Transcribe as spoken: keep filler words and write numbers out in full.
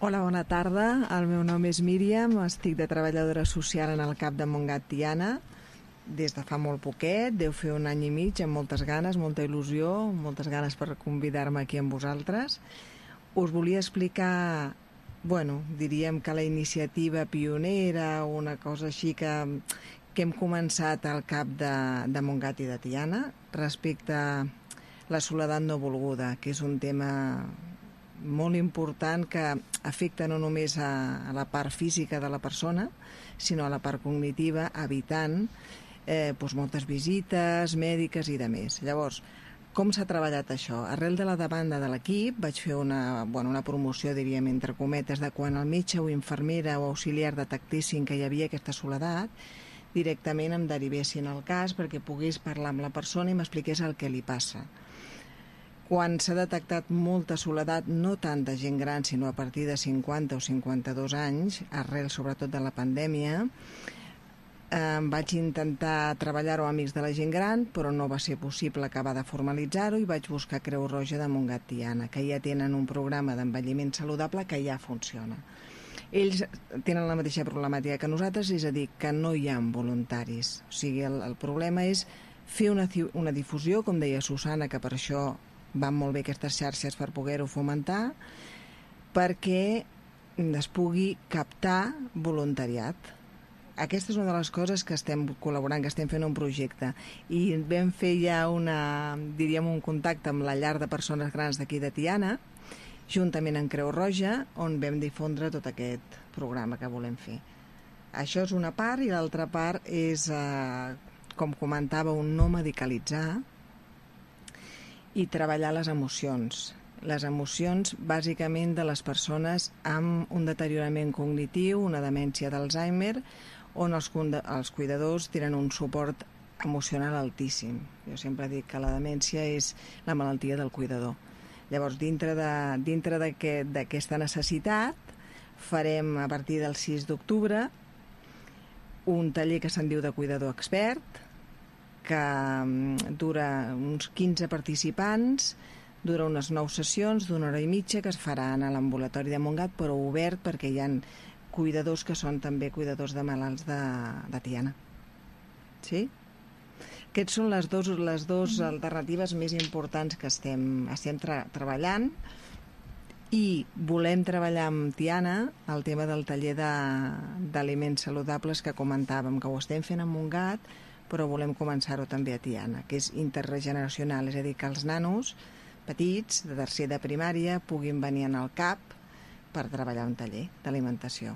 Hola, bona tarda. El meu nom és Míriam, estic de treballadora social en el CAP de Montgat Tiana des de fa molt poquet, deu fer un any i mig, amb moltes ganes, molta il·lusió, moltes ganes per convidar-me aquí amb vosaltres. Us volia explicar, bueno, diríem que la iniciativa pionera, una cosa així que, que hem començat al CAP de, de Montgat i de Tiana respecte a la soledat no volguda, que és un tema molt important que afecta no només a, a la part física de la persona, sinó a la part cognitiva, evitant eh, doncs moltes visites mèdiques i de més. Llavors, com s'ha treballat això? Arrel de la demanda de l'equip vaig fer una, bueno, una promoció, diríem, entre cometes, de quan el metge o infermera o auxiliar detectessin que hi havia aquesta soledat, directament em derivessin el cas perquè pogués parlar amb la persona i m'expliqués el que li passa. Quan s'ha detectat molta soledat, no tant de gent gran, sinó a partir de cinquanta o cinquanta-dos anys, arrel sobretot de la pandèmia, eh, vaig intentar treballar-ho amb amics de la gent gran, però no va ser possible acabar de formalitzar-ho i vaig buscar Creu Roja de Montgat Tiana, que ja tenen un programa d'envelliment saludable que ja funciona. Ells tenen la mateixa problemàtica que nosaltres, és a dir, que no hi ha voluntaris. O sigui, el, el problema és fer una, una difusió, com deia Susana, que per això van molt bé aquestes xarxes per poder-ho fomentar, perquè es pugui captar voluntariat. Aquesta és una de les coses que estem col·laborant, que estem fent un projecte. I vam fer ja una, diríem, un contacte amb la llar de persones grans d'aquí de Tiana, juntament amb Creu Roja, on vam difondre tot aquest programa que volem fer. Això és una part, i l'altra part és, eh, com comentava, un no medicalitzar i treballar les emocions. Les emocions, bàsicament, de les persones amb un deteriorament cognitiu, una demència d'Alzheimer, on els, els cuidadors tenen un suport emocional altíssim. Jo sempre dic que la demència és la malaltia del cuidador. Llavors, dintre de, dintre d'aquesta necessitat, farem a partir del sis d'octubre un taller que se'n diu de cuidador expert, que dura uns quinze participants, dura unes nou sessions d'una hora i mitja que es faran a l'ambulatori de Montgat, però obert perquè hi ha cuidadors que són també cuidadors de malalts de, de Tiana. Sí? Aquestes són les dues les dos alternatives més importants que estem, estem tra treballant, i volem treballar amb Tiana el tema del taller d'aliments saludables que comentàvem, que ho estem fent a Montgat, però volem començar-ho també a Tiana, que és intergeneracional, és a dir, que els nanos petits, de tercer de primària, puguin venir en el CAP per treballar un taller d'alimentació.